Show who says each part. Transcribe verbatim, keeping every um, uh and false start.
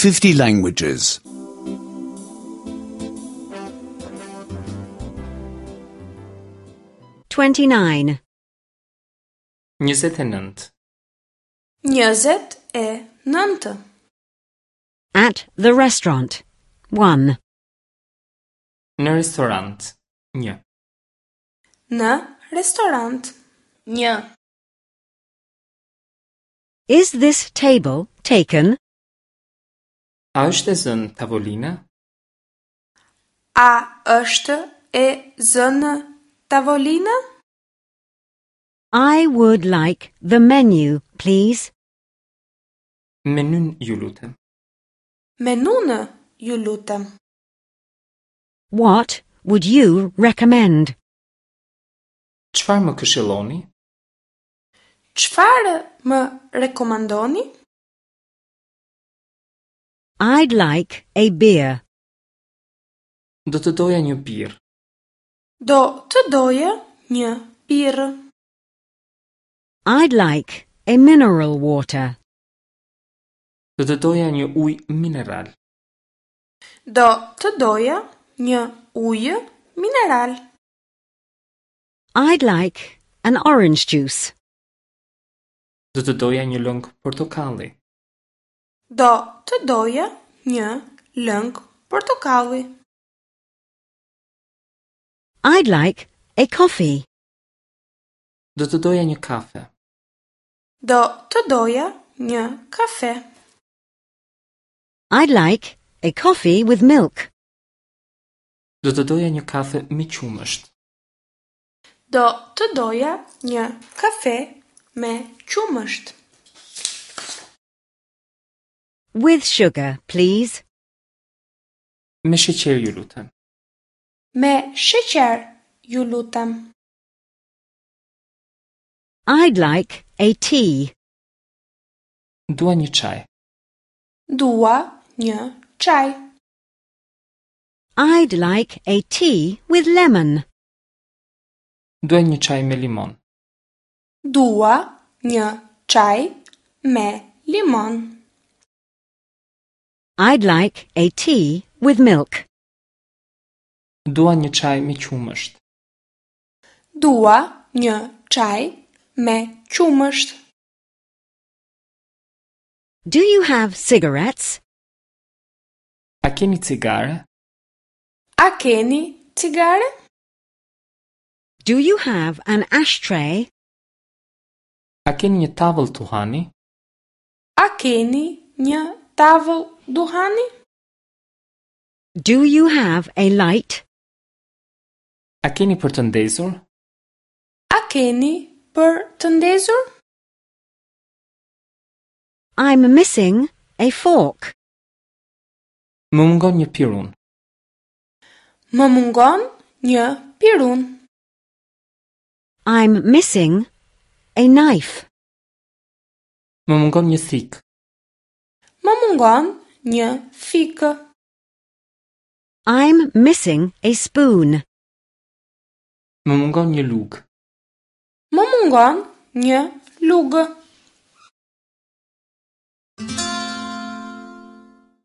Speaker 1: fifty languages.
Speaker 2: twenty-nine.
Speaker 3: njëzet e nëntë.
Speaker 4: Njëzet e nëntë.
Speaker 2: At the restaurant. one.
Speaker 3: Në restorant. Një.
Speaker 4: Në restorant. Një.
Speaker 2: Is this table taken?
Speaker 3: A është e zënë tavolina?
Speaker 4: A është e zënë tavolina?
Speaker 2: I would like the menu, please.
Speaker 3: Menyn ju lutem.
Speaker 4: Menunë, ju lutem.
Speaker 2: What would you recommend?
Speaker 3: Çfarë më këshilloni?
Speaker 4: Çfarë më rekomandoni?
Speaker 2: I'd like a beer.
Speaker 3: Do të doja një birrë.
Speaker 4: Do të doja një birrë.
Speaker 2: I'd like a mineral water.
Speaker 3: Do të doja një ujë mineral.
Speaker 4: Do të doja një ujë mineral.
Speaker 2: I'd like an orange juice.
Speaker 3: Do të doja një lëng portokalli.
Speaker 4: Do të doja një lëng portokalli.
Speaker 2: I'd like a coffee.
Speaker 3: Do të doja një kafe.
Speaker 4: Do të doja një kafe.
Speaker 2: I'd like a coffee with milk.
Speaker 3: Do të doja një kafe me qumësht.
Speaker 4: Do të doja një kafe me qumësht.
Speaker 2: With sugar, please.
Speaker 3: Me sheqer ju lutem.
Speaker 4: Me sheqer, ju lutem.
Speaker 2: I'd like a tea.
Speaker 3: Dua një çaj.
Speaker 4: Dua një çaj.
Speaker 2: I'd like a tea with lemon.
Speaker 3: Dua një çaj me limon.
Speaker 4: Dua një çaj me limon.
Speaker 2: I'd like a tea with milk.
Speaker 3: Dua një çaj me qumësht.
Speaker 4: Dua një çaj me qumësht.
Speaker 2: Do you have cigarettes?
Speaker 3: A keni cigare?
Speaker 4: A keni cigare?
Speaker 2: Do you have an ashtray?
Speaker 3: A keni një tavëll tuhani?
Speaker 4: A keni një tavëll duhani?
Speaker 2: Do you have a light?
Speaker 3: A keni për të ndezur?
Speaker 4: A keni për të ndezur?
Speaker 2: I'm missing a fork.
Speaker 3: Më mungon një pirun.
Speaker 4: Më mungon një pirun.
Speaker 2: I'm missing a knife.
Speaker 3: Më mungon një thikë.
Speaker 4: Më mungon një thikë.
Speaker 2: I'm missing a spoon.
Speaker 3: Më mungon një lugë.
Speaker 4: Më mungon një lugë.